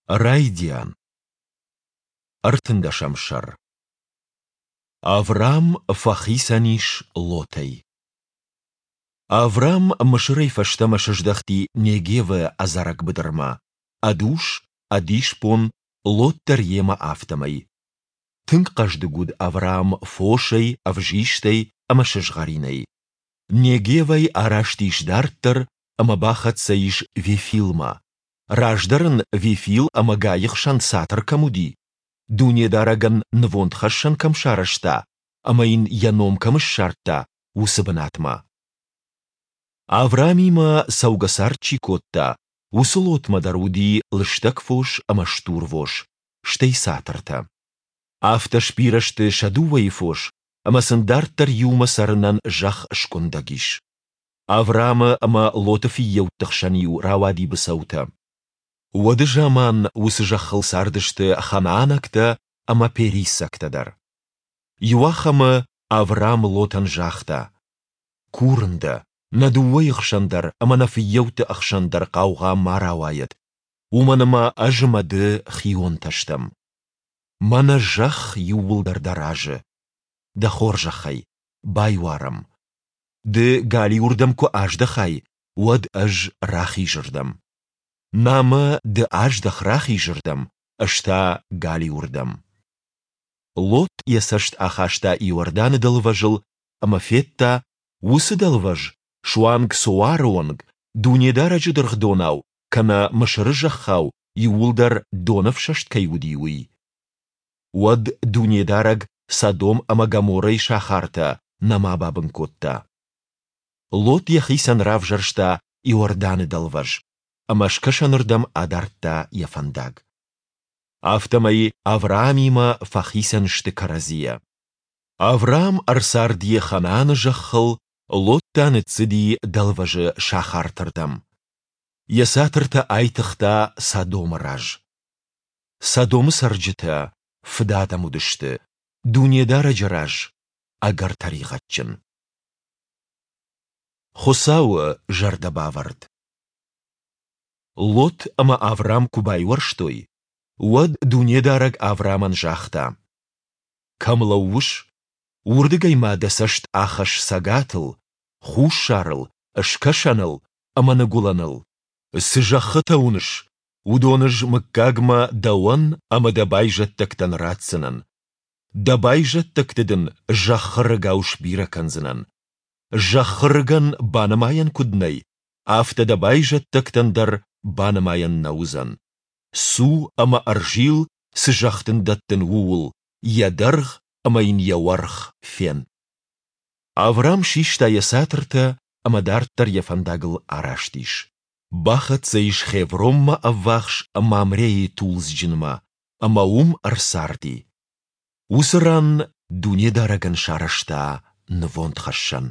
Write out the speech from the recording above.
Райдиан. Ӕртындӕсӕм сӕр. Аврам фӕхицӕн ис Лотӕй. Аврам Мысырӕй фӕстӕмӕ сыздӕхти Негевы ӕдзӕрӕг быдырмӕ, ӕд ус, ӕд исбон, Лот дӕр йемӕ афтӕмӕй. Тынг хъӕздыг уыд Авраам фосӕй, ӕвзистӕй ӕмӕ сызгъӕринӕй. Негевӕй араст ис дарддӕр ӕмӕ бахӕццӕ ис Вефилмӕ, раздӕр ын Вефил ӕмӕ Гайы хсӕн цатыр кӕм уыди, Дунедарӕгӕн нывондхӕссӕн кӕм сарӕзта ӕмӕ йын йӕ ном кӕм ссардта, уыцы бынатмӕ. Авраамимӕ цӕугӕцард чи кодта, уыцы Лотмӕ дӕр уыди лыстӕг фос ӕмӕ стурвос, стӕй цатыртӕ. Афтӕ сбирӕ сты сӕ дыууӕйы фос, ӕмӕ сын дарддӕр иумӕ цӕрынӕн зӕхх скъуындӕг ис. Авраамы ӕмӕ Лоты фыййӕутты хсӕн-иу рауади быцӕутӕ. Уӕды заман уыцы зӕххыл цардысты ханаанӕгтӕ ӕмӕ периссӕгтӕ дӕр. Иуахӕмы Авраам Лотӕн загъта: «Курын дӕ, нӕ дыууӕйы хсӕн дӕр ӕмӕ нӕ фыййӕутты ӕхсӕн дӕр хъаугъа ма рауайӕд, уымӕн ӕмӕ ӕз ӕмӕ ды хионтӕ стӕм. Мӕнӕ зӕхх иууылдӕр дӕ разы. Дӕ хорзӕхӕй, байуарӕм. Ды галиуырдӕм куы аздӕхай, уӕд ӕз рахизырдӕм. Намӕ ды аздӕх рахизырдӕм, ӕз та галиуырдӕм. Лот йӕ цӕст ахаста Иорданы дӕлвӕзыл ӕмӕ федта, уыцы дӕлвӕз суанг Цоары онг, Дунедарӕджы дыргъдонау кӕнӕ Мысыры зӕххау иууылдӕр донӕфсӕст кӕй уыди, уый. Уӕд Дунедарӕг Содом ӕмӕ Гоморрӕйы сахартӕ нӕма бабын кодта. Лот йӕхицӕн равзӕрста Иорданы дӕлвӕз ӕмӕ скӕсӕнырдӕм адардта йӕ фӕндаг. Афтӕмӕй Авраамимӕ фӕхицӕн сты кӕрӕдзийӕ. Авраам ӕрцарди Ханааны зӕххыл, Лот та ныццыди дӕлвӕзы сахартырдӕм. Йӕ цатыртӕ айтыгъта Содомы раз. Содомы цӕрджытӕ фыдадӕм уыдысты, Дунедарӕджы раз ӕгӕр тӕригъӕдджын. Хуыцауы зӕрдӕбавӕрд Лот ӕмӕ Аврам куы байуӕрстой, уӕд Дунедарӕг Аврамӕн загъта: Кӕм лӕууыс, уырдыгӕй ма дӕ цӕст ахӕсс цӕгатыл, хуссарыл, скӕсӕныл ӕмӕ ныгуылӕныл. Цы зӕххытӕ уыныс, уыдон ӕз мыггагмӕ дӕуӕн ӕмӕ дӕ байзӕддӕгтӕн ратдзынӕн. Дӕ байзӕддӕгты дын зӕххы рыгау сбирӕ кӕндзынӕн. Зӕххы рыгӕн банымайӕн куыд нӕй, афтӕ дӕ байзӕддӕгтӕн дӕр банымайӕн нӕ уыдзӕн. Цу ӕмӕ ӕрзил, цы зӕхх дын дӕттын, ууыл, йӕ дӕргъ ӕмӕ йын йӕ уӕрх фен. Аврам систа йӕ цатыртӕ ӕмӕ дарддӕр йӕ фӕндагыл араст ис. Бахӕццӕ ис Хевронмӕ ӕввахс Мамрейы тулдзджынмӕ ӕмӕ уым ӕрцарди. Уыцы ран Дунедарӕгӕн сарӕзта нывондхӕссӕн.